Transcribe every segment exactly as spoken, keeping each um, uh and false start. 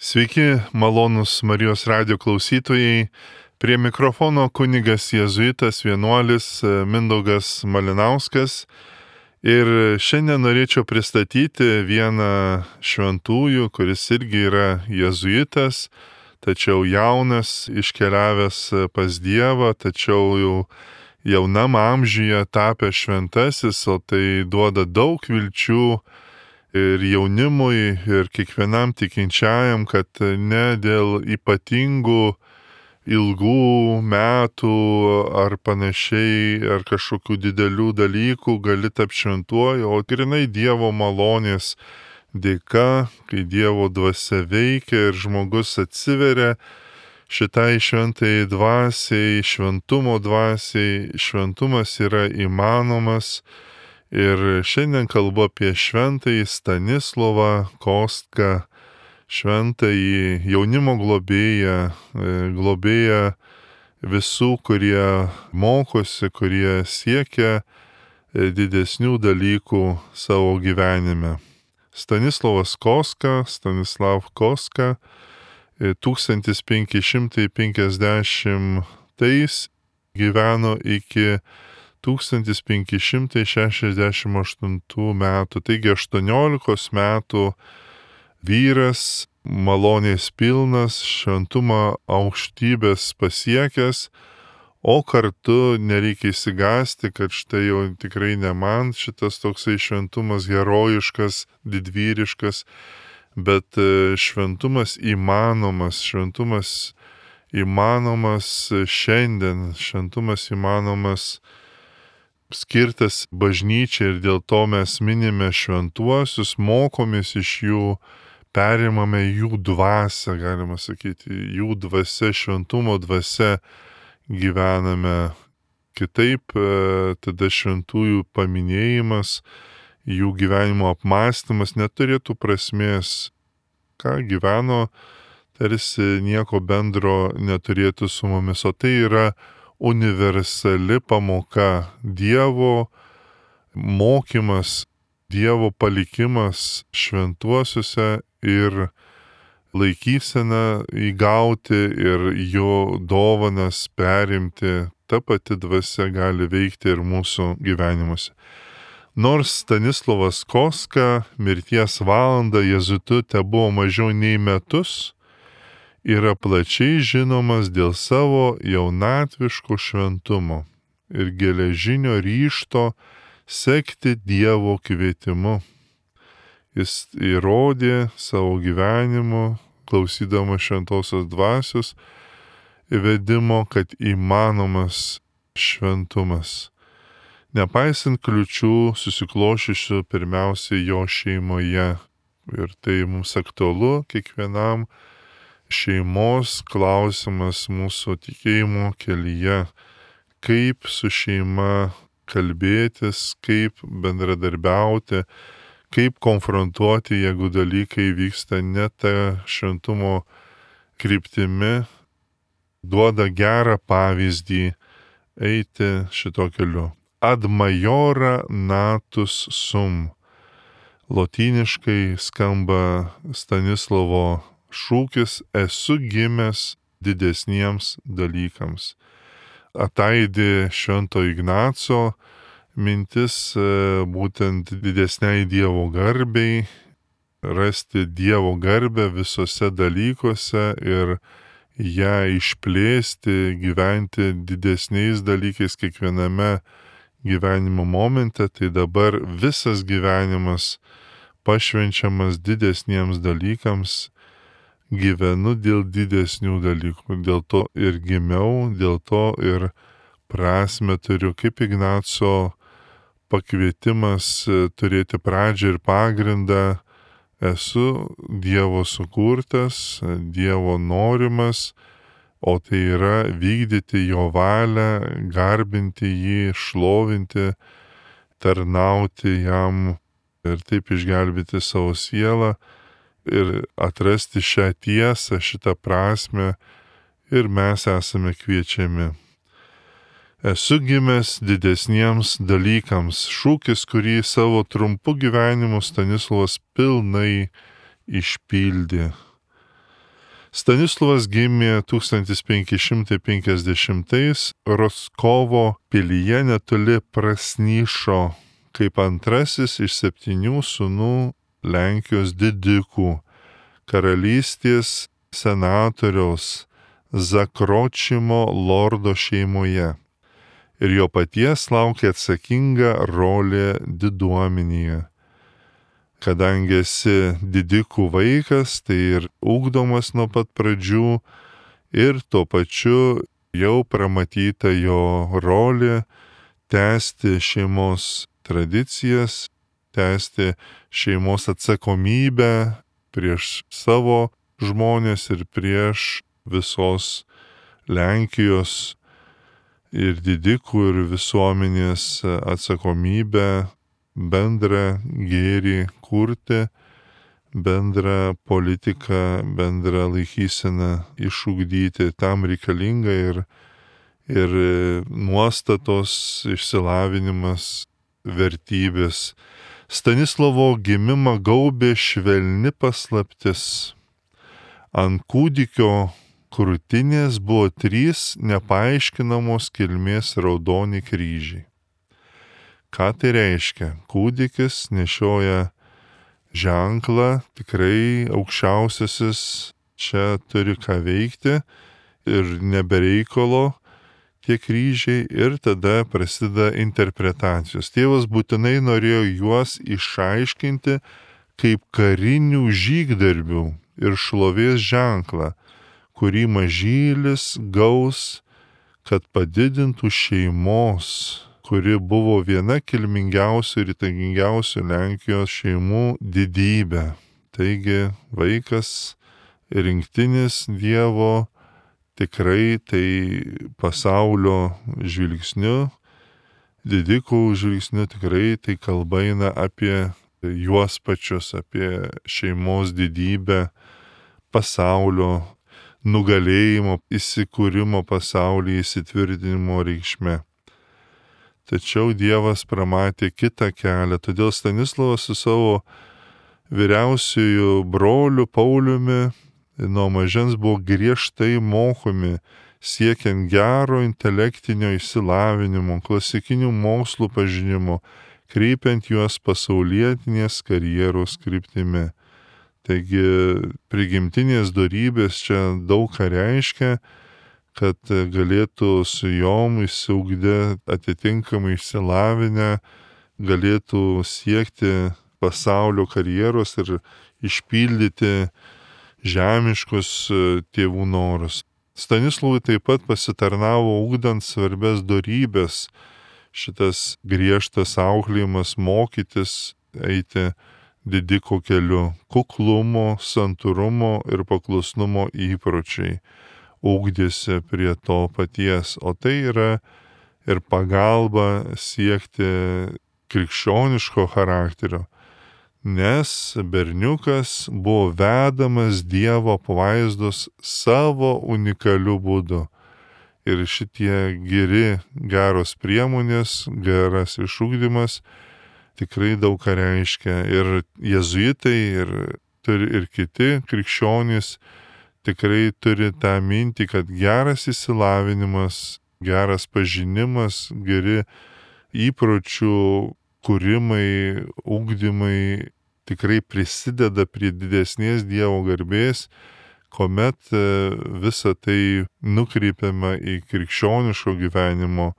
Sveiki, malonūs Marijos radijo klausytojai. Prie mikrofono kunigas jėzuitas vienuolis Mindaugas Malinauskas. Ir šiandien norėčiau pristatyti vieną šventųjų, kuris irgi yra jėzuitas, tačiau jaunas, iškeliavęs pas Dievą, tačiau jau jaunam amžiuje tapęs šventasis, o tai duoda daug vilčių ir jaunimui, ir kiekvienam tikinčiajam, kad ne dėl ypatingų ilgų metų ar panašiai, ar kažkokių didelių dalykų gali tapti šventuoju, o grynai Dievo malonės dėka, kai Dievo dvasia veikia ir žmogus atsiveria šitai šventai dvasiai, šventumo dvasiai. Šventumas yra įmanomas. Ir šiandien kalbu apie šventąjį Stanislovą Kostką, šventąjį jaunimo globėją, globėją visų, kurie mokosi, kurie siekia didesnių dalykų savo gyvenime. Stanislovas Kostka, Stanislav Kostka, tūkstantis penki šimtai penkiasdešimtais gyveno iki tūkstantis penki šimtai šešiasdešimt aštuntų metų, taigi aštuoniolikos metų vyras, malonės pilnas, šventumo aukštybės pasiekęs, o kartu nereikia įsigąsti, kad štai jau tikrai ne man šitas toksai šventumas herojiškas, didvyriškas, bet šventumas įmanomas, šventumas įmanomas šiandien, šventumas įmanomas skirtas bažnyčiai, ir dėl to mes minime šventuosius, mokomės iš jų, perimame jų dvasią, galima sakyti, jų dvasia, šventumo dvasia gyvename. Kitaip tada šventųjų paminėjimas, jų gyvenimo apmąstymas neturėtų prasmės. Ką gyveno, tarsi nieko bendro neturėtų su mumis, o tai yra universali pamoka, Dievo mokymas, Dievo palikimas šventuosiuose ir laikysena įgauti ir jo dovanas perimti. Ta pati dvasia gali veikti ir mūsų gyvenimuose. Nors Stanislovas Kostka mirties valandą jėzuitu tebuvo mažiau nei metus, yra plačiai žinomas dėl savo jaunatviško šventumo ir geležinio ryžto sekti Dievo kvietimu. Jis įrodė savo gyvenimu, klausydamas šventosios dvasios įvedimo, kad įmanomas šventumas. Nepaisant kliučių susiklošysiu pirmiausiai jo šeimoje. Ir tai mums aktualu kiekvienam šeimos klausimas mūsų tikėjimo kelyje, kaip su šeima kalbėtis, kaip bendradarbiauti, kaip konfrontuoti, jeigu dalykai vyksta ne ta šventumo kryptimi, duoda gerą pavyzdį eiti šito keliu. Ad majora natus sum. Lotyniškai skamba Stanislovo šūkis esu gimęs didesniems dalykams. Ataidi Švento Ignaco mintis būtent didesniai Dievo garbei, rasti Dievo garbę visose dalykuose ir ją išplėsti, gyventi didesniais dalykais kiekviename gyvenimo momente. Tai dabar visas gyvenimas pašvenčiamas didesniems dalykams. Gyvenu dėl didesnių dalykų, dėl to ir gimiau, dėl to ir prasmę turiu, kaip Ignaco pakvietimas turėti pradžią ir pagrindą. Esu Dievo sukurtas, Dievo norimas, o tai yra vykdyti jo valią, garbinti jį, šlovinti, tarnauti jam ir taip išgelbėti savo sielą. Ir atrasti šią tiesą, šitą prasmę, ir mes esame kviečiami. Esu gimęs didesniems dalykams. Šūkis, kurį savo trumpu gyvenimu Stanislovas pilnai išpildė. Stanislovas gimė tūkstantis penki šimtai penkiasdešimtais Roskovo pilyje netoli Prasnyšo kaip antrasis iš septynių sūnų Lenkijos didikų, karalystės senatoriaus Zakročimo lordo šeimoje. Ir jo paties laukia atsakinga rolė diduomenėje. Kadangi esi didikų vaikas, tai ir ugdomas nuo pat pradžių ir tuo pačiu jau pramatyta jo rolė tęsti šeimos tradicijas, tęsti šeimos atsakomybę prieš savo žmonės ir prieš visos Lenkijos ir didikų ir visuomenės atsakomybę bendrą gėrį kurti, bendrą politiką, bendrą laikyseną išugdyti. Tam reikalinga ir, ir nuostatos, išsilavinimas, vertybės. Stanislovo gimimą gaubė švelni paslaptis. Ant kūdikio krūtinės buvo trys nepaaiškinamos kilmės raudoni kryžiai. Ką tai reiškia? Kūdikis nešioja ženklą, tikrai aukščiausiasis čia turi ką veikti ir nebereikalo tie kryžiai ir tada prasideda interpretacijos. Tėvas būtinai norėjo juos išaiškinti kaip karinių žygdarbių ir šlovės ženklą, kurį mažylis gaus, kad padidintų šeimos, kuri buvo viena kilmingiausių ir įtakingiausių Lenkijos šeimų didybė. Taigi vaikas rinktinis Dievo tikrai tai pasaulio žvilgsniu, didikų žvilgsniu tikrai tai kalba eina apie juos pačius, apie šeimos didybę, pasaulio nugalėjimo, įsikūrimo pasaulyje, įsitvirtinimo reikšme. Tačiau Dievas pramatė kitą kelią, todėl Stanislovas su savo vyriausiųjų broliu Pauliumi nuo mažens buvo griežtai mokomi, siekiant gero intelektinio išsilavinimo, klasikinių mokslų pažinimo, kreipiant juos pasaulietinės karjeros kryptimi. Taigi prigimtinės dorybės čia daug ką reiškia, kad galėtų su jom išsiugdę atitinkamai išsilavinę, galėtų siekti pasaulio karjeros ir išpildyti žemiškus tėvų norus. Stanislovui taip pat pasitarnavo ugdant svarbias dorybės, šitas griežtas auklėjimas mokytis eiti didiko keliu, kuklumo, santūrumo ir paklusnumo įpročiai ugdėsi prie to paties, o tai yra ir pagalba siekti krikščioniško charakterio, nes berniukas buvo vedamas Dievo apvaizdos savo unikaliu būdu. Ir šitie geri, geros priemonės, geras išugdymas tikrai daug ką reiškia. Ir jėzuitai, ir, ir kiti krikščionys tikrai turi tą mintį, kad geras įsilavinimas, geras pažinimas, geri įpročių kūrimai, ugdymai tikrai prisideda prie didesnės Dievo garbės, kuomet visa tai nukreipiama į krikščioniško gyvenimo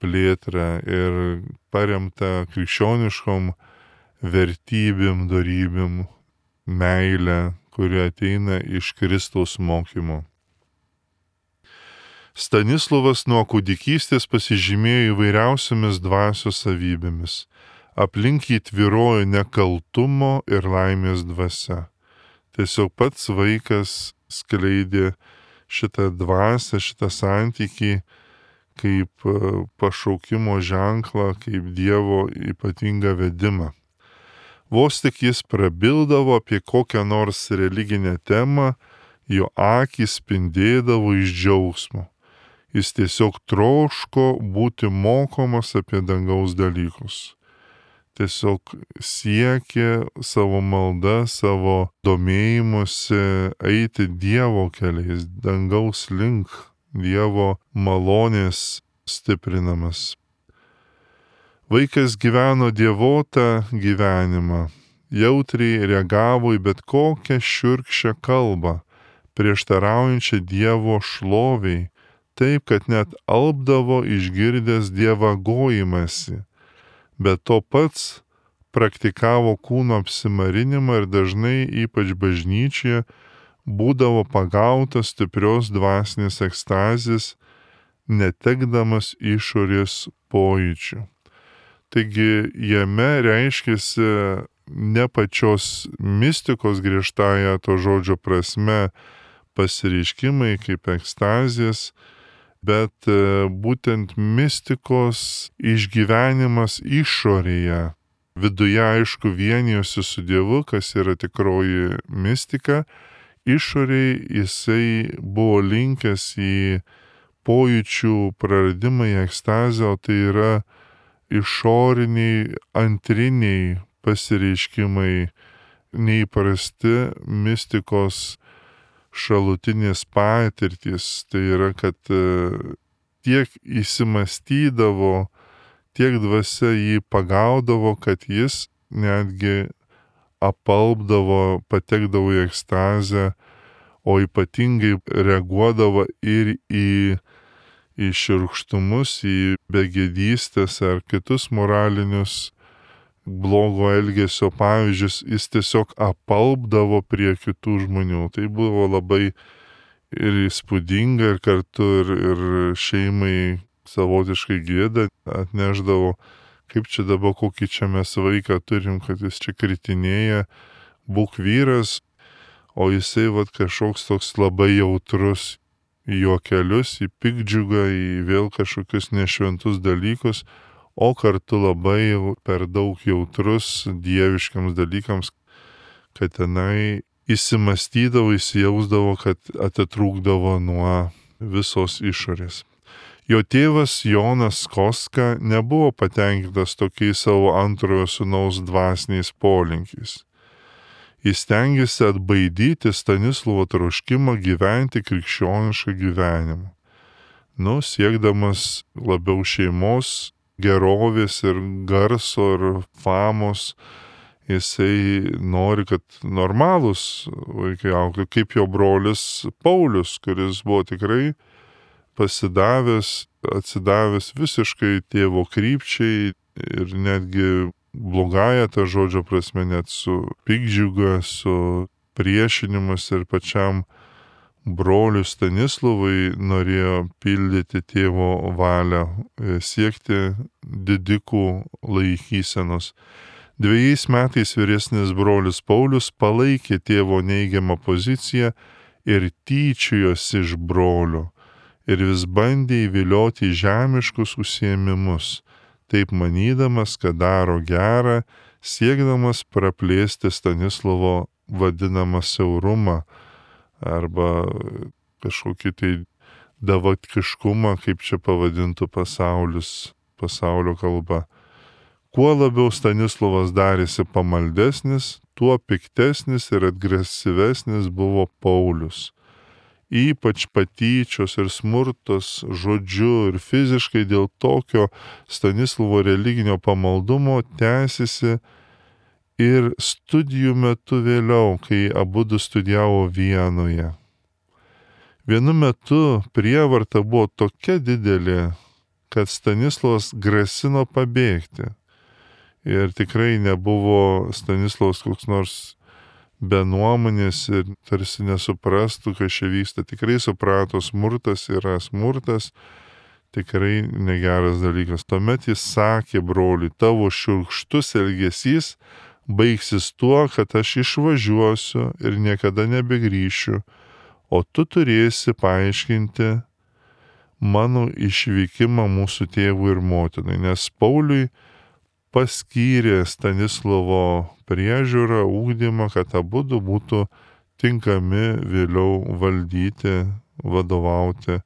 plėtrą ir paremta krikščioniškom vertybėm, dorybėm, meilę, kuri ateina iš Kristaus mokymo. Stanislovas nuo kūdikystės pasižymėjo įvairiausiamis dvasios savybėmis. Aplink jį tvyrojo nekaltumo ir laimės dvasia. Tiesiog pats vaikas skleidė šitą dvasią, šitą santykį kaip pašaukimo ženklą, kaip Dievo ypatingą vedimą. Vos tik jis prabildavo apie kokią nors religinę temą, jo akys spindėdavo iš džiaugsmo. Jis tiesiog troško būti mokomas apie dangaus dalykus. tiesiog siekė savo maldą, savo domėjimusi eiti Dievo keliais, dangaus link, Dievo malonės stiprinamas. Vaikas gyveno dievotą gyvenimą, jautriai reagavo į bet kokią šiurkščią kalbą, prieštaraujančią Dievo šloviai, taip, kad net alpdavo išgirdęs dievagojimąsi. Bet to pats praktikavo kūno apsimarinimą ir dažnai, ypač bažnyčioje, būdavo pagautas stiprios dvasinės ekstazės, netekdamas išorės pojūčių. Taigi jame reiškėsi ne pačios mistikos griežtąja to žodžio prasme pasireiškimai kaip ekstazės, bet būtent mistikos išgyvenimas išorėje. Viduje, aišku, vienijosi su Dievu, kas yra tikroji mistika, išorėje jisai buvo linkęs į pojūčių praradimą, į ekstazę, o tai yra išoriniai, antriniai pasireiškimai, neįprasti mistikos šalutinės patirtys. Tai yra, kad tiek įsimastydavo, tiek dvasia jį pagaudavo, kad jis netgi apalpdavo, patekdavo į ekstazę, o ypatingai reaguodavo ir į į šiurkštumus, į begėdystės ar kitus moralinius blogo elgesio pavyzdžius, jis tiesiog apalpdavo prie kitų žmonių. Tai buvo labai ir įspūdinga, ir kartu ir, ir šeimai savotiškai gėda atneždavo, kaip čia dabar kokį čia mes vaiką turim, kad jis čia kritinėja, būk vyras, o jisai vat kažkoks toks labai jautrus į juokelius, į piktdžiugą, į vėl kažkokius nešventus dalykus, o kartu labai per daug jautrus dieviškiams dalykams, kad tenai įsimastydavo, įsijausdavo, kad atitrūkdavo nuo visos išorės. Jo tėvas Jonas Koska nebuvo patenkintas tokiais savo antrojo sūnaus dvasiniais polinkiais. Jis stengiasi atbaidyti Stanislovo troškimą gyventi krikščionišką gyvenimą. Nu, siekdamas labiau šeimos, gerovės ir garso ir famos, jisai nori, kad normalūs vaikai augtų, kaip jo brolis Paulius, kuris buvo tikrai pasidavęs, atsidavęs visiškai tėvo krypčiai ir netgi blogąja ta žodžio prasme, net su piktdžiuga, su priešinimas ir pačiam broliui Stanislovui norėjo pildyti tėvo valią, siekti didikų laikysenos. Dviejais metais vyresnis brolis Paulius palaikė tėvo neigiamą poziciją ir tyčiojosi iš brolio ir vis bandė įvilioti žemiškus užsiėmimus, taip manydamas, kad daro gerą, siekdamas praplėsti Stanislovo vadinamą siaurumą arba kažkokį tai davatkiškumą, kaip čia pavadintų pasaulis, pasaulio kalba. Kuo labiau Stanislovas darėsi pamaldesnis, tuo piktesnis ir agresyvesnis buvo Paulius. Ypač patyčios ir smurtos žodžiu ir fiziškai dėl tokio Stanislovo religinio pamaldumo tęsiasi ir studijų metu vėliau, kai abudu studijavo Vienoje. Vienu metu prievarta buvo tokia didelė, kad Stanislovas grasino pabėgti. Ir tikrai nebuvo Stanislovas koks nors be nuomonės ir tarsi nesuprastų, kas čia vyksta. Tikrai suprato, smurtas yra smurtas, tikrai negeras dalykas. Tuomet jis sakė broliui, tavo šiurkštus elgesys baigsis tuo, kad aš išvažiuosiu ir niekada nebegrįšiu, o tu turėsi paaiškinti mano išvykimą mūsų tėvui ir motinai, nes Pauliui paskyrė Stanislovo priežiūrą, ūkdymą, kad abudu būtų tinkami vėliau valdyti, vadovauti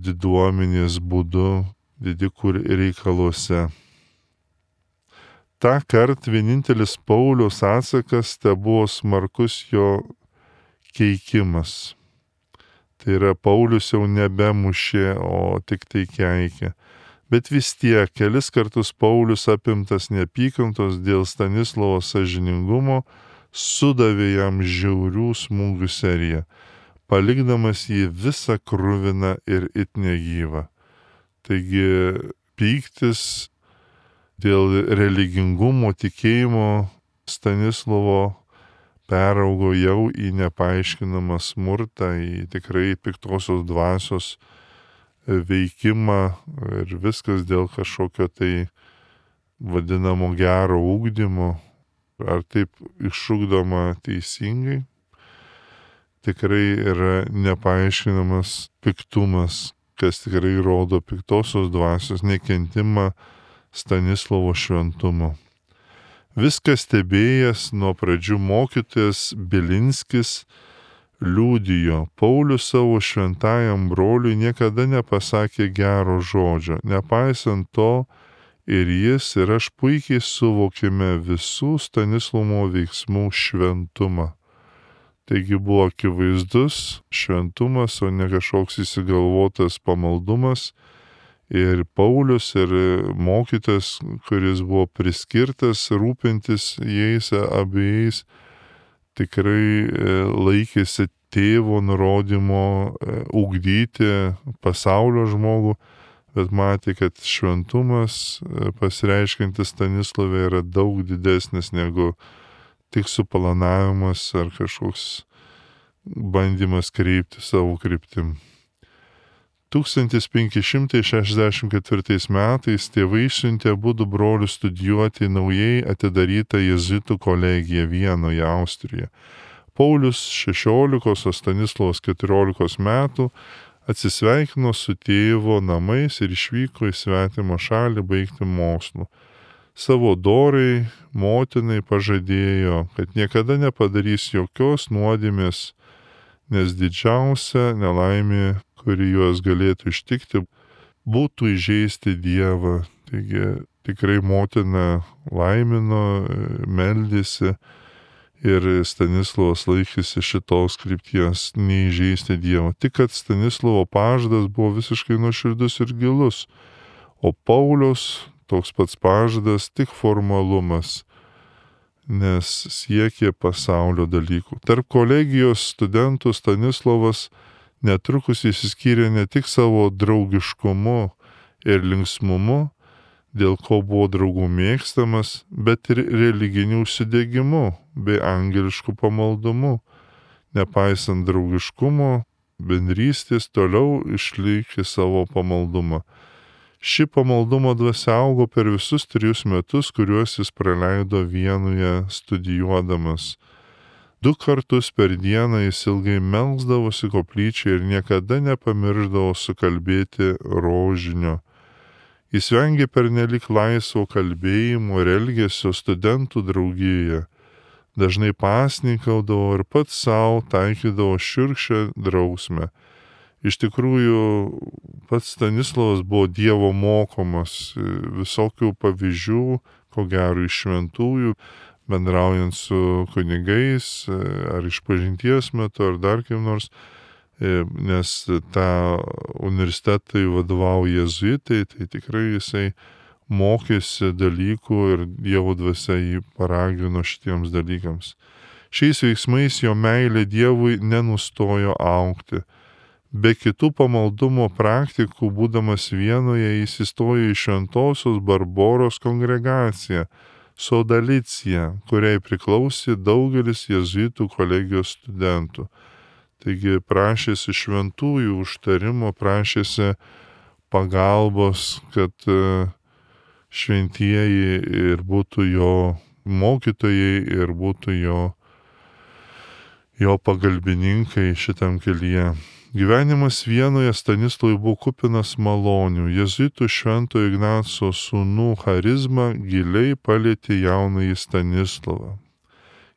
diduomenės būdu didikų reikaluose. Ta kart vienintelis Pauliaus atsakas te buvo smarkus jo keikimas. Tai yra, Paulius jau nebemušė, o tik tai keikė. Bet vis tiek kelis kartus Paulius, apimtas neapykantos dėl Stanislovo sąžiningumo, sudavė jam žiaurių smūgių seriją, palikdamas jį visą kruviną ir it negyvą. Taigi pyktis dėl religingumo, tikėjimo Stanislovo peraugo jau į nepaaiškinamą smurtą, į tikrai piktosios dvasios veikimą ir viskas dėl kažkokio tai vadinamo gero ugdymo, ar taip išugdoma teisingai. Tikrai yra nepaaiškinamas piktumas, kas tikrai rodo piktosios dvasios nekentimą Stanislovo šventumo. Viską stebėjęs nuo pradžių mokytojas Bilinskis liudijo, Paulius savo šventajam broliui niekada nepasakė gero žodžio, nepaisant to ir jis ir aš puikiai suvokėme visų Stanislovo veiksmų šventumą. Taigi buvo akivaizdus šventumas, o ne kažkoks įsigalvotas pamaldumas. Ir Paulius, ir mokytas, kuris buvo priskirtas rūpintis jais abiejais, tikrai laikėsi tėvo nurodymo ugdyti pasaulio žmogų, bet matė, kad šventumas pasireiškiantis Stanislove yra daug didesnis negu tik suplanavimas ar kažkoks bandymas kreipti savo kryptim. tūkstantis penki šimtai šešiasdešimt ketvirtais metais tėvai išsiuntė abudu brolius studijuoti naujai atidarytą jėzuitų kolegiją Vienoje, Austrijoje. Paulius šešiolikos, o Stanislovas keturiolikos metų atsisveikino su tėvo namais ir išvyko į svetimą šalį baigti mokslų. Savo dorai motinai pažadėjo, kad niekada nepadarys jokios nuodėmės, nes didžiausia nelaimė, kuri juos galėtų ištikti, būtų įžeisti Dievą. Taigi tikrai motina laimino, meldėsi ir Stanislovas laikėsi šitos krypties neįžeisti Dievo. Tik kad Stanislovo pažadas buvo visiškai nuoširdus ir gilus, o Pauliaus toks pats pažadas tik formalumas, nes siekė pasaulio dalykų. Tarp kolegijos studentų Stanislovas netrukus išsiskyrė ne tik savo draugiškumu ir linksmumu, dėl ko buvo draugų mėgstamas, bet ir religiniu užsidegimu bei angelišku pamaldumu. Nepaisant draugiškumo, bendrystės toliau išlaikė savo pamaldumą. Ši pamaldumo dvasia augo per visus trijus metus, kuriuos jis praleido Vienoje studijuodamas. Du kartus per dieną jis ilgai melsdavosi koplyčioje ir niekada nepamirždavo sukalbėti rožinio. Jis vengė pernelik laisvo kalbėjimo ir elgesio studentų draugijoje. Dažnai pasninkaudavo ir pats savo taikydavo šiurkščią drausmę. Iš tikrųjų, pats Stanislovas buvo Dievo mokomas visokių pavyzdžių, ko gero iš šventųjų, bendraujant su kunigais, ar išpažinties metu, ar dar kaip nors, nes tą universitetui vadovauja jėzuitai, tai tikrai jisai mokėsi dalykų ir Dievo dvasia jį paragino šitiems dalykams. Šiais veiksmais jo meilė Dievui nenustojo augti. Be kitų pamaldumo praktikų, būdamas Vienoje, jis įstojo į Šventosios Barboros kongregaciją, Sodalicija, kuriai priklausė daugelis jėzuitų kolegijos studentų. Taigi prašėsi šventųjų užtarimo, prašėsi pagalbos, kad šventieji ir būtų jo mokytojai ir būtų jo, jo pagalbininkai šitam kelyje. Gyvenimas Vienoje Stanislovui buvo kupinas malonių. Jėzuitų švento Ignaco sūnų charizma giliai palietė jaunąjį Stanislovą.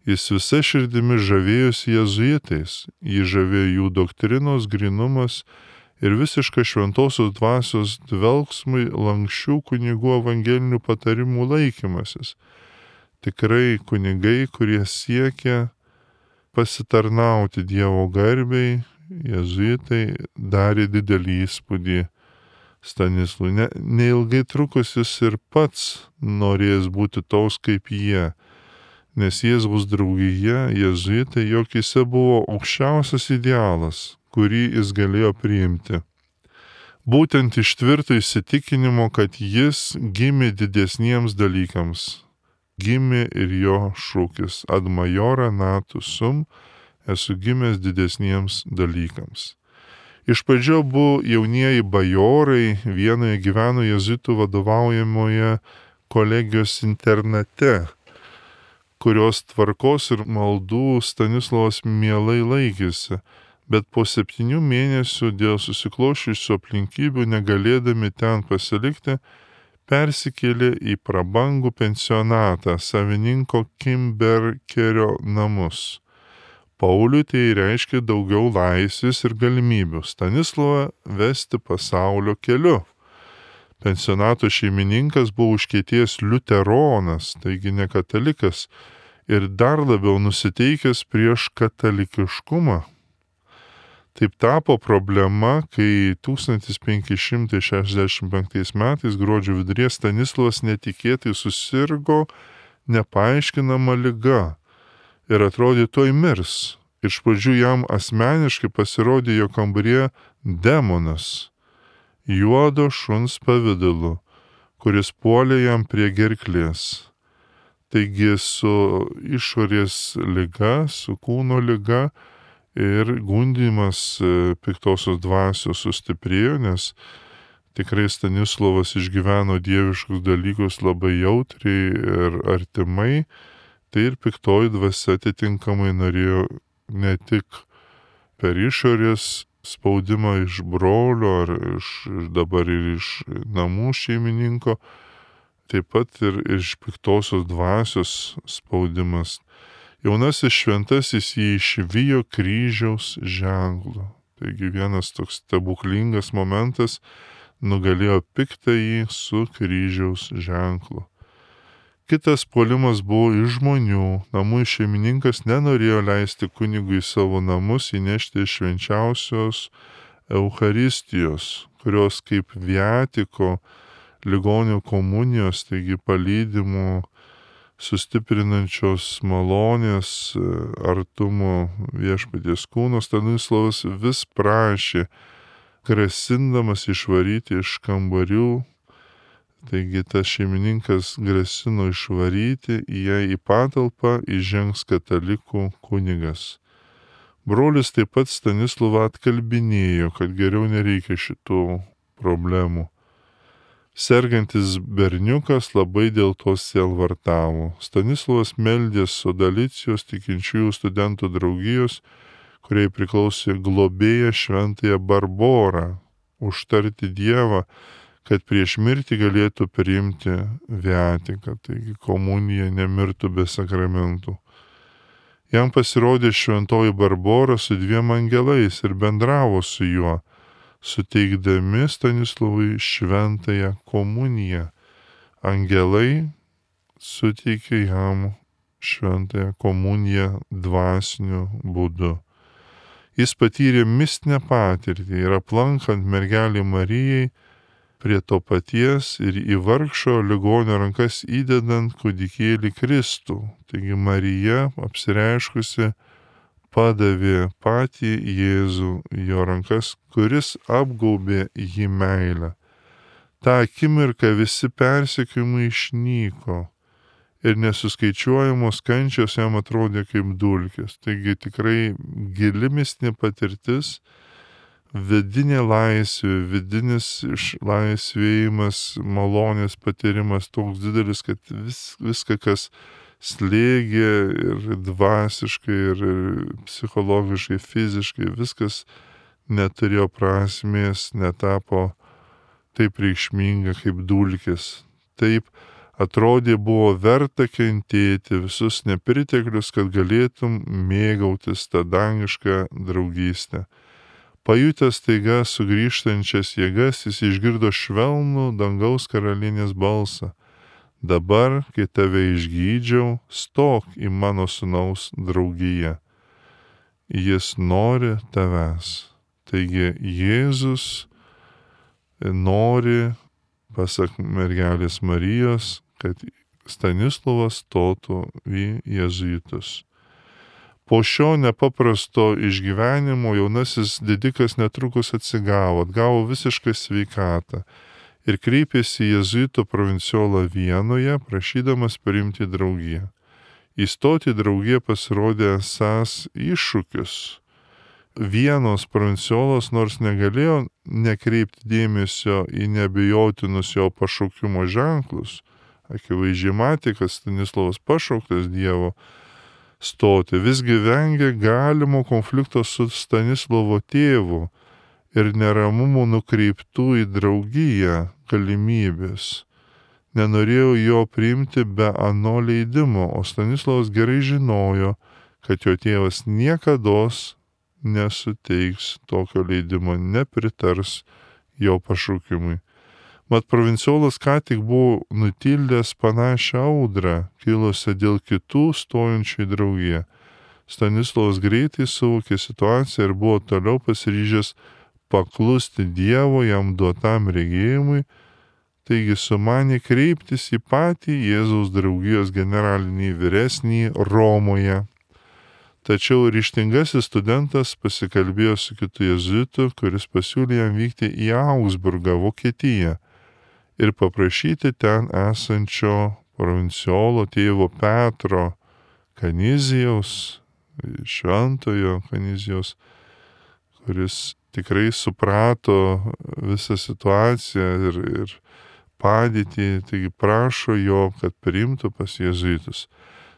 Jis visa širdimi žavėjosi jėzuitais, jį žavėjo jų doktrinos grynumas ir visišką šventosios dvasios dvelgsmui lankščių kunigų evangelinių patarimų laikymasis. Tikrai kunigai, kurie siekia pasitarnauti Dievo garbei, jėzuitai darė didelį įspūdį Stanislui. Ne, neilgai trukus jis ir pats norės būti toks kaip jie, nes Jėzaus draugija, jėzuitai, jokise buvo aukščiausias idealas, kurį jis galėjo priimti. Būtent iš tvirto įsitikinimo, kad jis gimė didesniems dalykams. Gimė ir jo šūkis ad majora natus sum, esu gimęs didesniems dalykams. Iš pradžio buvo jaunieji bajorai, vienoje gyveno jėzuitų vadovaujamoje kolegijos internate, kurios tvarkos ir maldų Stanislovas mielai laikėsi, bet po septynių mėnesių dėl susikloščiusių aplinkybių negalėdami ten pasilikti, persikėlė į prabangų pensionatą savininko Kimberkerio namus. Pauliui tai reiškia daugiau laisvės ir galimybių Stanislovą vesti pasaulio keliu. Pensionato šeimininkas buvo užkietėjęs liuteronas, taigi ne katalikas, ir dar labiau nusiteikęs prieš katalikiškumą. Taip tapo problema, kai tūkstantis penki šimtai šešiasdešimt penktais metais gruodžio viduryje Stanislovas netikėtai susirgo nepaaiškinama liga ir atrodė tuoj mirs. Iš pradžių jam asmeniškai pasirodė jo kambaryje demonas, juodo šuns pavidalu, kuris puolė jam prie gerklės. Taigi su išorės liga, su kūno liga ir gundymas piktosios dvasios sustiprėjo, nes tikrai Stanislovas išgyveno dieviškus dalykus labai jautriai ir artimai, tai ir piktoji dvasia atitinkamai norėjo ne tik per išorės spaudimą iš brolio ar iš, dabar ir iš namų šeimininko, taip pat ir iš piktosios dvasios spaudimas. Jaunasis šventasis jį išvijo kryžiaus ženklu. Taigi vienas toks stebuklingas momentas nugalėjo piktąjį su kryžiaus ženklu. Kitas puolimas buvo iš žmonių. Namų šeimininkas nenorėjo leisti kunigui į savo namus įnešti švenčiausios Eucharistijos, kurios kaip viatiko ligonių komunijos, taigi palydimo sustiprinančios malonės artumo viešpaties kūno, Stanislovas vis prašė, grasindamas išvaryti iš kambarių. Taigi tas šeimininkas grasino išvaryti, jei į patalpą įžengs katalikų kunigas. Brolis taip pat Stanislovą atkalbinėjo, kad geriau nereikia šitų problemų. Sergantis berniukas labai dėl to sielvartavo. Stanislovas meldė Sodalicijos tikinčiųjų studentų draugijos, kuriai priklausė globėja šventąją Barborą, užtarti Dievą, kad prieš mirtį galėtų priimti viatiką, taigi komunija nemirtų be sakramentų. Jam pasirodė šventoji Barbora su dviem angelais ir bendravo su juo, suteikdami Stanislovui šventąją komuniją. Angelai suteikė jam šventąją komuniją dvasiniu būdu. Jis patyrė mistinę patirtį ir aplankant mergelį Marijai prie to paties ir į vargšo ligonio rankas įdedant kūdikėlį Kristų. Taigi Marija apsireiškusi padavė patį Jėzų jo rankas, kuris apgaubė jį meilę. Ta akimirka visi persekiojimai išnyko ir nesuskaičiuojamos kančios jam atrodė kaip dulkės. Taigi tikrai gili mistinė patirtis, vidinė laisvė, vidinis išlaisvėjimas, malonės patyrimas toks didelis, kad vis, viską, kas slėgė ir dvasiškai, ir psichologiškai, fiziškai, viskas neturėjo prasmės, netapo taip reikšminga kaip dulkės. Taip atrodė buvo verta kentėti visus nepriteklius, kad galėtum mėgautis tą dangišką draugystę. Pajutęs taiga sugrįžtančias jėgas, jis išgirdo švelnų dangaus karalienės balsą. Dabar, kai tave išgydžiau, stok į mano sūnaus draugiją. Jis nori tavęs. Taigi Jėzus nori, pasak mergelės Marijos, kad Stanislovas stotų į jėzuitus. Po šio nepaprasto išgyvenimo jaunasis didikas netrukus atsigavo, atgavo visišką sveikatą ir kreipėsi į jėzuitų provinciolą Vienoje, prašydamas priimti draugiją. Įstoti į draugiją pasirodė esąs iššūkis. Vienos provinciolas nors negalėjo nekreipti dėmesio į neabejotinus jo pašaukimo ženklus, akivaizdžiai matė, kad Stanislovas pašauktas Dievo stoti, visgi vengė galimo konflikto su Stanislovo tėvu ir neramumų nukreiptų į draugiją galimybės. Nenorėjo jo priimti be ano leidimo, o Stanislovas gerai žinojo, kad jo tėvas niekados nesuteiks tokio leidimo, nepritars jo pašaukimui. Mat provinciolas ką tik buvo nutildęs panašią audrą, kilusią dėl kitų stojančių į draugiją. Stanislovas greitai suvokė situaciją ir buvo toliau pasiryžęs paklusti Dievo jam duotam regėjimui, taigi sumanė kreiptis į patį Jėzaus draugijos generalinį vyresnį Romoje. Tačiau ryžtingasis studentas pasikalbėjo su kitu jėzuitu, kuris pasiūlė jam vykti į Augsburgą, Vokietiją ir paprašyti ten esančio provinciolo tėvo Petro Kanizijaus, šventojo Kanizijaus, kuris tikrai suprato visą situaciją ir, ir padėtį, taigi prašo jo, kad priimtų pas jėzuitus.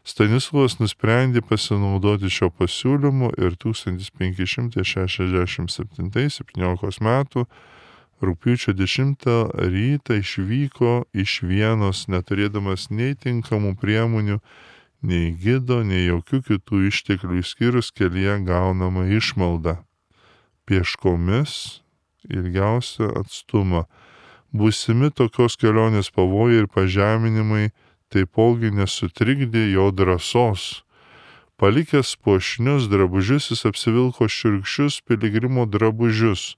Stanislovas nusprendė pasinaudoti šio pasiūlymu ir tūkstantis penki šimtai šešiasdešimt septintais septyniolikos metų rugpjūčio dešimtą rytą išvyko iš Vienos, neturėdamas nei tinkamų priemonių, nei gido, nei jokių kitų išteklių išskyrus kelyje gaunamą išmaldą. Pieškomis ilgiausią atstumą. Būsimi tokios kelionės pavojai ir pažeminimai taipogi nesutrikdė jo drąsos. Palikęs puošnius drabužius, jis apsivilko šiurkščius piligrimo drabužius,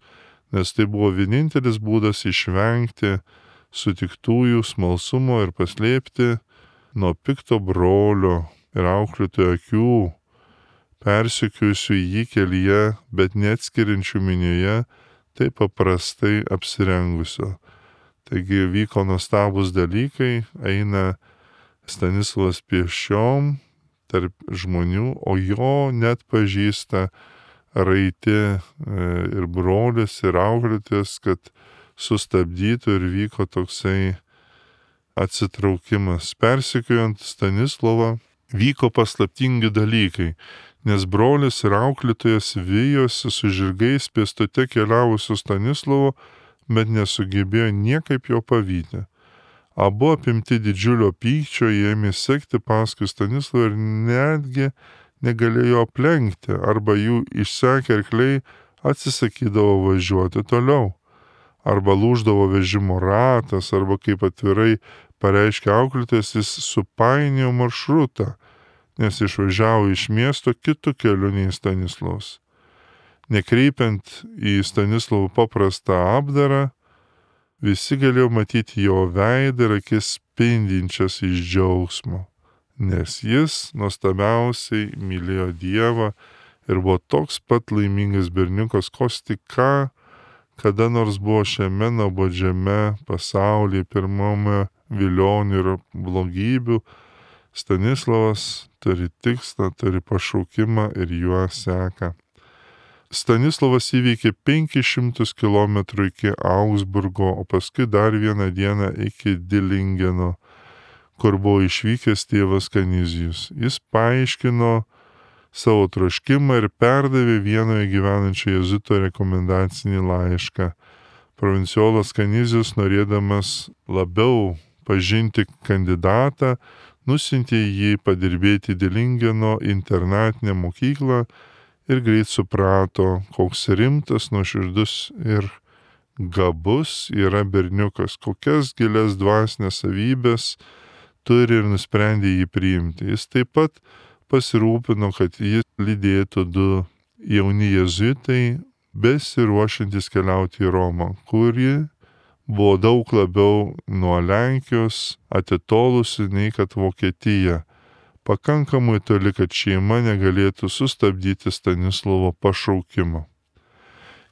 nes tai buvo vienintelis būdas išvengti sutiktųjų smalsumo ir paslėpti nuo pikto brolio ir auklėtojo akių, persekiojusių jį kelyje, bet neatskiriančių minioje, taip paprastai apsirengusio. Taigi vyko nuostabus dalykai, eina Stanislovas pėsčiom tarp žmonių, o jo net pažįsta raiti ir brolis, ir auklėtis, kad sustabdytų ir vyko toksai atsitraukimas. Persekiojant Stanislovą vyko paslaptingi dalykai, nes brolis ir auklėtojas vijosi su žirgais pėstute keliavusiu Stanislovu, bet nesugebėjo niekaip jo pavyti. Abu apimti didžiulio pykčio ėmė sekti paskui Stanislovą ir netgi negalėjo aplenkti, arba jų išsekę arkliai atsisakydavo važiuoti toliau, arba lūždavo vežimo ratas, arba kaip atvirai pareiškė auklėtojas, jis supainiojo maršrutą, nes išvažiavo iš miesto kitu keliu nei Stanislovas. Nekreipiant į Stanislovo paprastą apdarą, visi galėjo matyti jo veidą ir akis spindinčias iš džiaugsmo, nes jis nuostabiausiai mylėjo Dievą ir buvo toks pat laimingas berniukas, koks tik ką kada nors buvo šiame nuobodžiame pasaulyje, pirmame vilionių ir blogybių. Stanislovas turi tikslą, turi pašaukimą ir juo seka. Stanislovas įveikė penkis šimtus kilometrų iki Augsburgo, o paskui dar vieną dieną iki Dilingeno, kur buvo išvykęs tėvas Kanizijus. Jis paaiškino savo troškimą ir perdavė Vienoje gyvenančio jėzuito rekomendacinį laišką. Provinciolas Kanizijus, norėdamas labiau pažinti kandidatą, nusintė jį padirbėti Dilingeno internatinę mokyklą ir greit suprato, koks rimtas, nuoširdus ir gabus yra berniukas, kokias gilias dvasinės savybės turi ir nusprendė jį priimti. Jis taip pat pasirūpino, kad jį lydėtų du jauni jėzuitai, besiruošiantis keliauti į Romą, kuri buvo daug labiau nuo Lenkijos atitolusi nei kad Vokietija. Pakankamai toli, kad šeima negalėtų sustabdyti Stanislovo pašaukimo.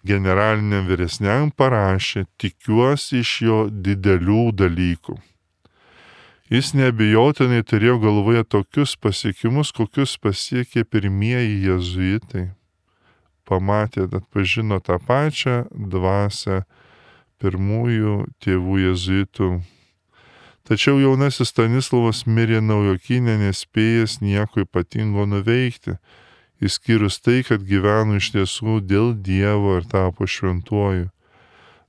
Generaliniam vyresniam parašė, tikiuosi iš jo didelių dalykų. Jis neabejotinai turėjo galvoje tokius pasiekimus, kokius pasiekė pirmieji jėzuitai. Pamatė, atpažino tą pačią dvasią pirmųjų tėvų jėzuitų. Tačiau jaunasis Stanislovas mirė Naujokyne, nespėjęs nieko ypatingo nuveikti, išskyrus tai, kad gyveno iš tiesų dėl Dievo ir tapo šventuoju.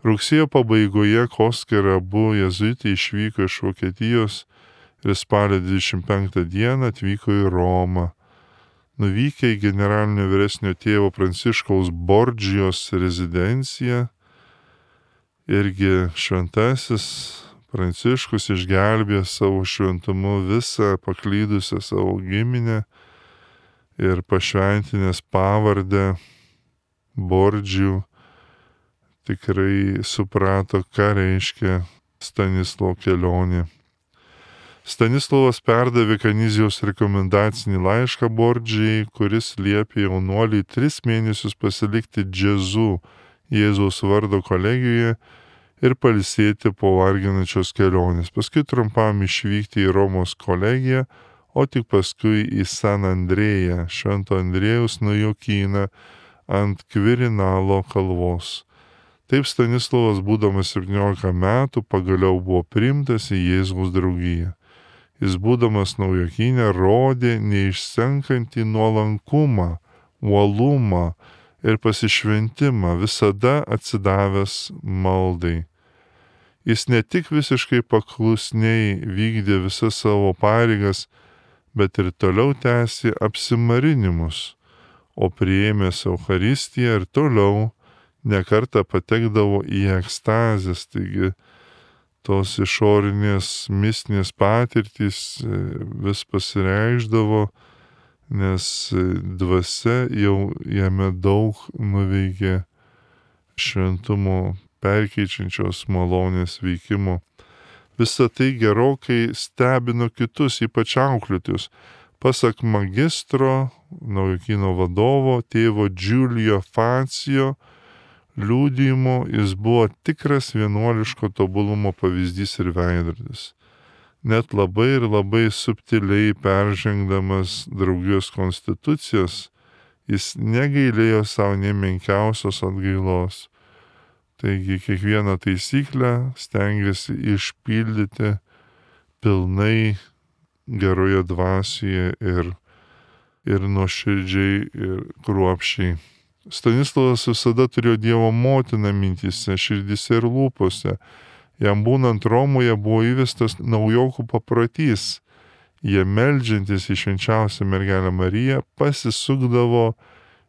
Rugsėjo pabaigoje Kosker abu jėzuitai išvyko iš Vokietijos ir spalio dvidešimt penktą dieną atvyko į Romą. Nuvykę į generalinio vyresnio tėvo Pranciškaus Bordžijos rezidenciją, irgi šventasis Pranciškus išgelbėjo savo šventumu visą paklydusią savo giminę ir pašventinęs pavardę Bordžijų tikrai suprato, ką reiškia Stanislovo kelionė. Stanislovas perdavė Kanizijos rekomendacinį laišką Bordžijai, kuris liepė jaunuoliui tris mėnesius pasilikti džezu Jėzaus vardo kolegijoje ir pailsėti po varginančios kelionės. Paskui trumpam išvykti į Romos kolegiją, o tik paskui į San Andrėją, Švento Andrėjaus Naujokyną ant Kvirinalo kalvos. Taip Stanislovas, būdamas septyniolika metų, pagaliau buvo priimtas į Jėzaus draugiją. Jis, būdamas Naujokyne, rodė neišsenkantį nuolankumą, uolumą ir pasišventimą, visada atsidavęs maldai. Jis ne tik visiškai paklusniai vykdė visas savo pareigas, bet ir toliau tęsė apsimarinimus, o priėmęs Eucharistiją ir toliau nekartą patekdavo į ekstazės, taigi tos išorinės mistinės patirtys vis pasireikšdavo, nes dvasia jau jame daug nuveikė šventumo perkeičiančios malonės veikimo. Visa tai gerokai stebino kitus, ypač auklėtojus. Pasak magistro, Naujokyno vadovo, tėvo Giulio Facio liudijimo, jis buvo tikras vienuoliško tobulumo pavyzdys ir veidrodis. Net labai ir labai subtiliai peržengdamas draugijos konstitucijas, jis negailėjo savo nemenkiausios atgailos. Taigi kiekvieną taisyklę stengiasi išpildyti pilnai geroje dvasioje ir, ir nuoširdžiai ir kruopščiai. Stanislovas visada turėjo Dievo motiną mintyse, širdise ir lūpose. Jam būnant Romoje buvo įvestas naujokų paprotys. Jie meldžiantis į švenčiausią mergelę Mariją pasisukdavo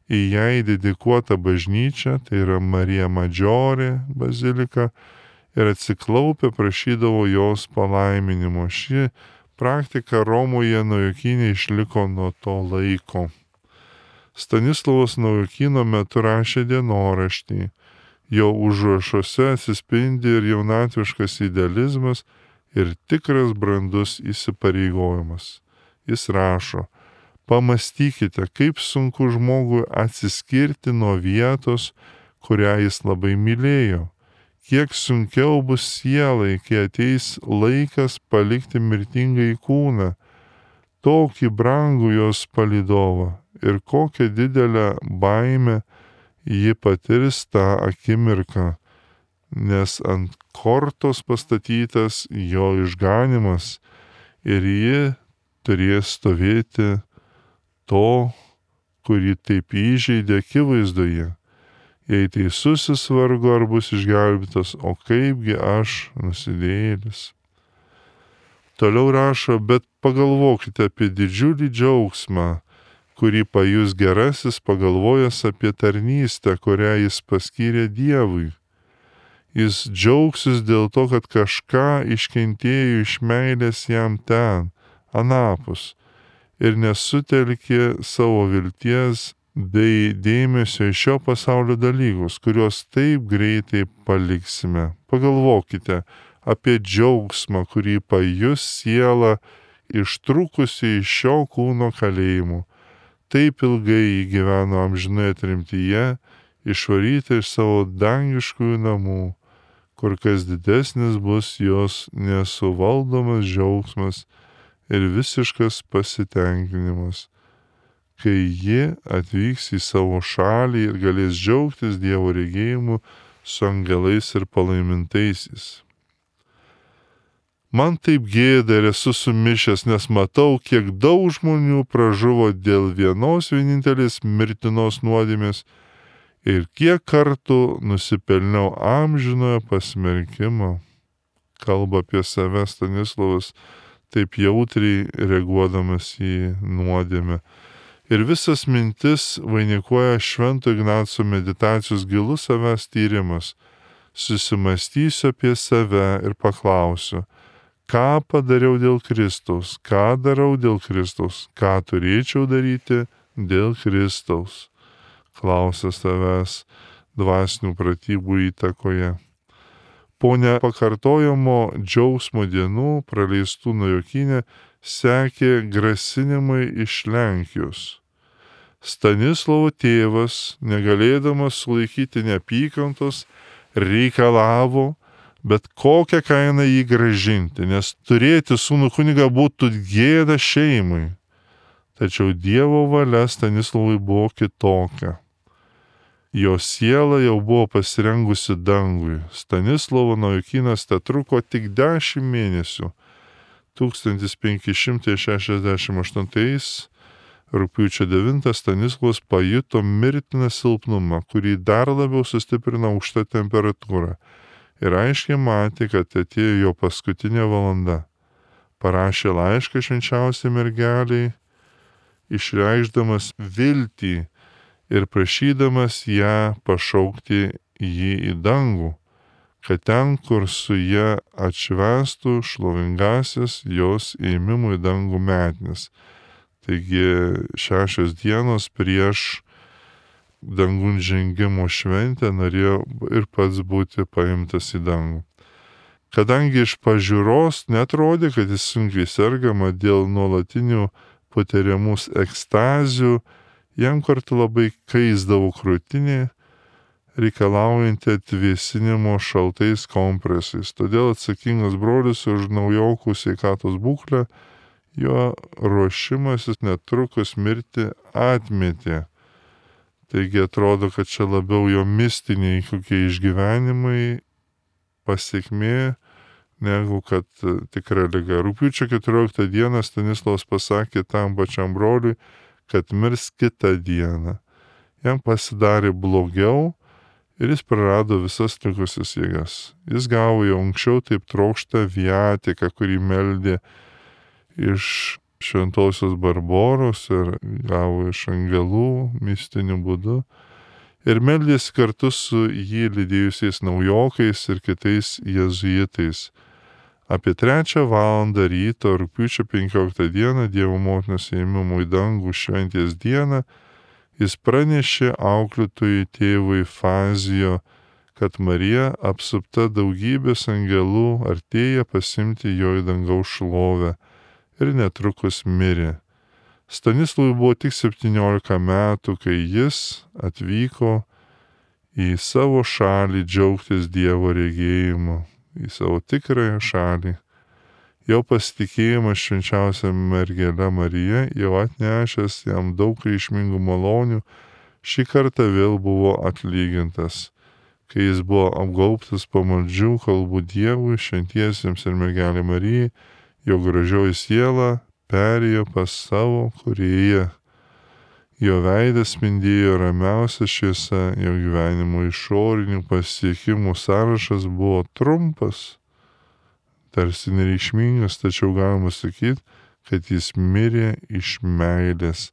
į jai dedikuotą bažnyčią, tai yra Marija Maggiore bazilika, ir atsiklaupę prašydavo jos palaiminimo. Ši praktika Romoje Naujokyne išliko nuo to laiko. Stanislovas Naujokyno metu rašė dienoraštį. Jo užrašuose atsispindi ir jaunatviškas idealizmas ir tikras brandus įsipareigojimas. Jis rašo: pamastykite, kaip sunku žmogui atsiskirti nuo vietos, kurią jis labai mylėjo. Kiek sunkiau bus sielai, kai ateis laikas palikti mirtingąjį kūną, tokį brangų jos palydovą, ir kokią didelę baimę ji patirs tą akimirką, nes ant kortos pastatytas jo išganimas ir ji turės stovėti to, kurį taip įžeidė akivaizdoje. Jei teisusis vargu ar bus išgelbėtas, o kaipgi aš nusidėjėlis. Toliau rašo: bet pagalvokite apie didžiulį džiaugsmą, kurį pajus gerasis pagalvojęs apie tarnystę, kurią jis paskyrė Dievui. Jis džiaugsis dėl to, kad kažką iškentėjo iš meilės jam ten, anapus, ir nesutelkė savo vilties bei dėmesio į šio pasaulio dalykus, kuriuos taip greitai paliksime. Pagalvokite apie džiaugsmą, kurį pajus siela ištrūkusi iš šio kūno kalėjimų. Taip ilgai jį gyveno amžinoje tremtyje, išvaryti iš savo dangiškųjų namų, kur kas didesnis bus jos nesuvaldomas džiaugsmas ir visiškas pasitenkinimas, kai ji atvyks į savo šalį ir galės džiaugtis Dievo regėjimu su angelais ir palaimintaisiais. Man taip gėda ir esu sumišęs, nes matau, kiek daug žmonių pražuvo dėl vienos vienintelės mirtinos nuodėmės ir kiek kartų nusipelniau amžinojo pasmerkimo. Kalba apie save Stanislovas, taip jautriai reaguodamas į nuodėmę. Ir visas mintis vainikuoja Švento Ignaco meditacijos gilus savęs tyrimas. Susimastysiu apie save ir paklausiu, ką padariau dėl Kristaus, ką darau dėl Kristaus, ką turėčiau daryti dėl Kristaus. Klausia savęs dvasinių pratybų įtakoje. Po nepakartojamo džiaugsmo dienų praleistų Naujokyne sekė grasinimai iš Lenkijos. Stanislovo tėvas, negalėdamas sulaikyti neapykantos, reikalavo, bet kokią kainą jį gražinti, nes turėti sūnų kunigą būtų gėda šeimai. Tačiau Dievo valia Stanislovui buvo kitokia. Jo siela jau buvo pasirengusi dangui. Stanislovo Naujokynas tetruko tik dešimt mėnesių. tūkstantis penki šimtai šešiasdešimt aštuntais rugpjūčio devintą Stanislovas pajuto mirtiną silpnumą, kurį dar labiau sustiprino aukšta temperatūra. Ir aiškiai matė, kad atėjo jo paskutinė valanda. Parašė laišką švenčiausiai mergeliai, išreikšdamas viltį ir prašydamas ją pašaukti jį į dangų, kad ten, kur su ja atšvęstų šlovingasis jos ėmimų į dangų metines. Taigi šešios dienos prieš dangun žengimo šventę norėjo ir pats būti paimtas į dangų. Kadangi iš pažiūros netrodė, kad jis sunkiai sergama dėl nuolatinių patiriamų ekstazių, jam kartu labai kaisdavo krūtinė, reikalaujanti atvėsinimo šaltais kompresais. Todėl atsakingas brolis už naujokų sveikatos būklę, jo ruošimasis netrukus mirti atmetė. Taigi atrodo, kad čia labiau jo mistiniai kokie išgyvenimai pasiekmė, negu kad tikra liga. Rugpjūčio keturioliktą dieną Stanislovas pasakė tam pačiam broliui, kad mirs kitą dieną. Jam pasidarė blogiau ir jis prarado visas likusias jėgas. Jis gavo jau anksčiau taip trokštą viatiką, kurį meldė iš šventosios Barboros ir gavo iš angelų mistiniu būdu. Ir meldėsi kartu su jį lydėjusiais naujokais ir kitais jėzuitais. Apie trečią valandą ryto rugpjūčio penkioliktą dieną Dievo motinos ėmimo į dangų šventės dieną jis pranešė auklėtojui tėvui Fazijo, kad Marija apsupta daugybės angelų artėja pasiimti jo į dangaus šlovę ir netrukus mirė. Stanislovui buvo tik septyniolika metų, kai jis atvyko į savo šalį džiaugtis Dievo regėjimu, į savo tikrąją šalį. Jo pasitikėjimas švenčiausia mergele Marija, jau atnešęs jam daug reikšmingų malonių, šį kartą vėl buvo atlygintas, kai jis buvo apgaubtas pamaldžių kalbų Dievui, šventiesiems ir mergelė Marijai, jo gražioji siela perėjo pas savo kūrėją. Jo veidas spindėjo ramiausia šviesa, jo gyvenimo išorinių pasiekimų sąrašas buvo trumpas, tarsi nereikšmingas, tačiau galima sakyti, kad jis mirė iš meilės.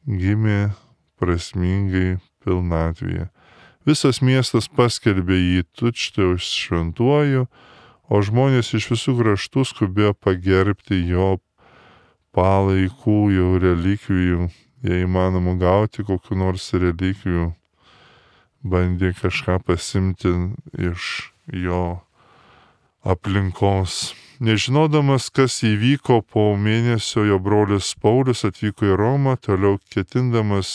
gimė prasmingai pilnatvėje. Visas miestas paskelbė jį tučtuojau šventuoju, o žmonės iš visų kraštų skubėjo pagerbti jo palaikų, jau relikvijų, jei įmanoma gauti kokiu nors relikvijų, bandė kažką pasimti iš jo aplinkos. Nežinodamas, kas įvyko, po mėnesio jo brolis Paulius atvyko į Romą, toliau ketindamas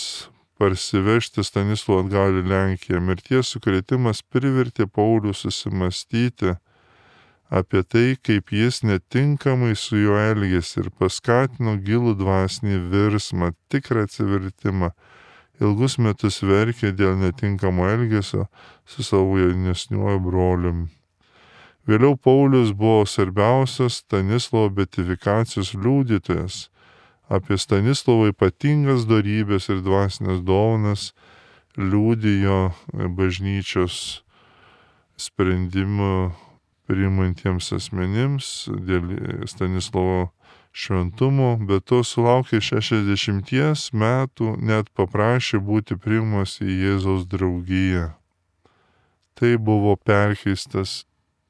parsivežti Stanislovą atgal į Lenkiją. Mirties sukrėtimas privertė Paulių susimastyti apie tai, kaip jis netinkamai su juo elgėsi, ir paskatino gilų dvasinį virsmą, tikrą atsivertimą. Ilgus metus verkė dėl netinkamo elgesio su savo jaunesniuoju broliumi. Vėliau Paulius buvo svarbiausias Stanislovo beatifikacijos liudytojas. Apie Stanislovo ypatingas dorybės ir dvasinės dovanas liudijo bažnyčios sprendimų priimantiems asmenims dėl Stanislovo šventumo, bet to sulaukė šešiasdešimties metų, net paprašė būti priimamas į Jėzaus draugiją. Tai buvo perkeistas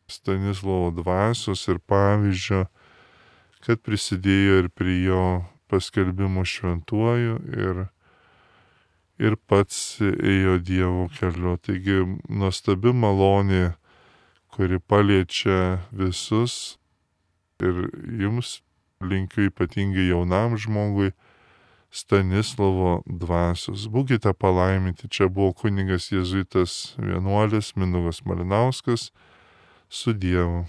Stanislovo dvasios ir pavyzdžio, kad prisidėjo ir prie jo paskelbimo šventuoju ir, ir pats ėjo Dievo keliu. Taigi nuostabi malonė, kuri paliečia visus, ir jums linkiu ypatingai jaunam žmogui Stanislovo dvasios. Būkite palaiminti. Čia buvo kunigas jėzuitas vienuolis Mindaugas Malinauskas. Su Dievu.